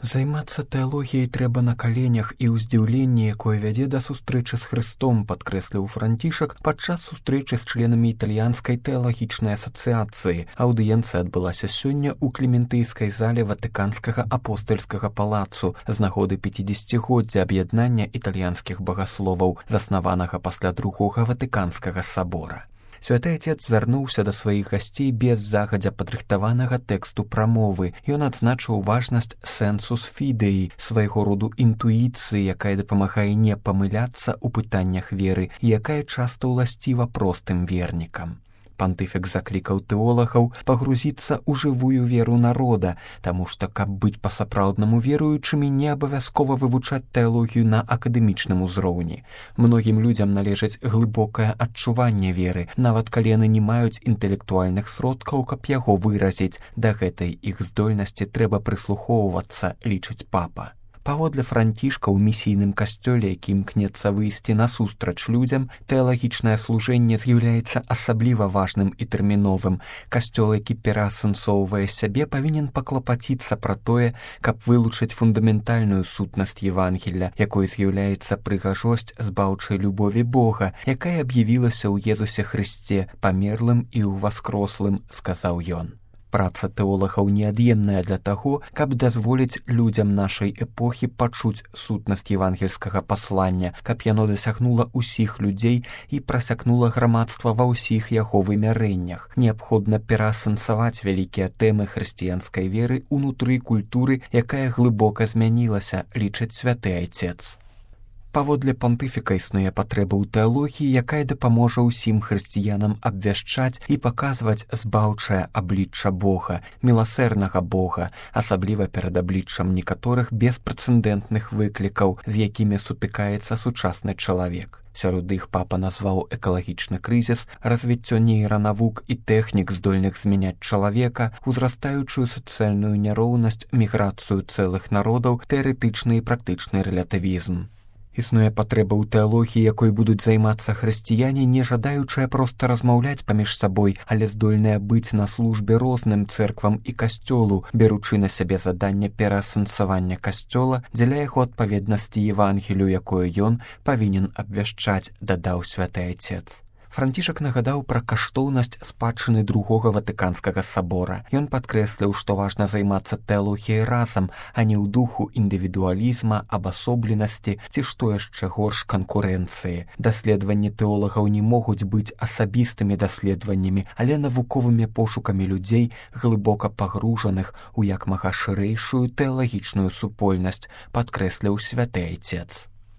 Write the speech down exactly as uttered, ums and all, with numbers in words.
Займацца тэалогіяй трэба на каленях і ў здзіўленні, якое вядзе да сустрэчы з Хрыстом, падкрэсліў Францішак падчас сустрэчы з членамі італьянскай тэалагічнай асацыяцыі. Аўдыенцыя адбылася сёння ў клементыйскай зале Ватыканскага апостальскага палацу з нагоды пяцідзесяцігоддзя аб'яднання італьянскіх багасловаў, заснаванага пасля другога Ватыканскага сабора. Святы Отец звярнуўся да сваіх гасцей без загадзя падрыхтаванага тэксту прамовы. Ён адзначыў важнасць сэнсус фідэі, свайго роду інтуіцыі, якая дапамагае не памыляцца ў пытаннях веры і якая часта ўласціва простым вернікам. Пантыфік заклікаў тэолагаў пагрузіцца ў жывую веру народа, таму што, каб быць па-сапраўднаму веруючымі, не абавязкова вывучаць тэалогію на акадэмічным узроўні. Многім людзям належыць глыбокае адчуванне веры, нават калі яны не маюць інтэлектуальных сродкаў, каб яго выразіць. Да гэтай іх здольнасці трэба прыслухоўвацца, лічыць папа. Паводле Францішка ў місійным касцёле, які імкнецца выйсці насустрач людзям, тэалагічнае служэнне з'яўляецца асабліва важным і тэрміновым. Касцёл, які пераасэнсоўвае сябе, павінен паклапаціцца пра тое, каб вылучыць фундаментальную сутнасць Евангелля, якой з'яўляецца прыгажосць збаўчай любові Бога, якая аб'явілася ў Езусе Хрысце, памерлым і ўваскрослым, сказаў ён. Праца тэолагаў неад'емная для таго, каб дазволіць людзям нашай эпохі пачуць сутнасць евангельскага паслання, каб яно дасягнула ўсіх людзей і прасякнула грамадства ва ўсіх яго вымярэннях. Неабходна пераасэнсаваць вялікія тэмы хрысціянскай веры ўнутры культуры, якая глыбока змянілася, лічыць святы Айцец. Паводле пантыфіка існуе патрэба ў тэалогіі, якая дапаможа ўсім хрысціянам абвяшчаць і паказваць збаўчае аблічча Бога, міласэрнага Бога, асабліва перад абліччам некаторых беспрэцэдэнтных выклікаў, з якімі сутыкаецца сучасны чалавек. Сярод іх папа назваў экалагічны крызіс, развіццё нейранавук і тэхнік, здольных змяняць чалавека, узрастаючую сацыяльную няроўнасць, міграцыю цэлых народаў, тэарэтычны і практычны рэлятывізм. Існуе патрэба ў тэалогіі, якой будуць займацца хрысціяне, не жадаючыя проста размаўляць паміж сабой, але здольныя быць на службе розным цэрквам і касцёлу, беручы на сябе заданне пераасэнсавання касцёла дзеля яго адпаведнасці Евангелію, якое ён павінен абвяшчаць, дадаў святы Айцец. Францішак нагадаў пра каштоўнасць спадчыны другога Ватыканскага сабора. Ён падкрэсліў, што важна займацца тэалогіяй разам, а не ў духу індывідуалізма, абасобленасці ці, што яшчэ горш, канкурэнцыі. Даследаванні тэолагаў не могуць быць асабістымі даследаваннямі, але навуковымі пошукамі людзей, глыбока пагружаных у як мага шырэйшую тэалагічную супольнасць, падкрэсліў святы Айцец.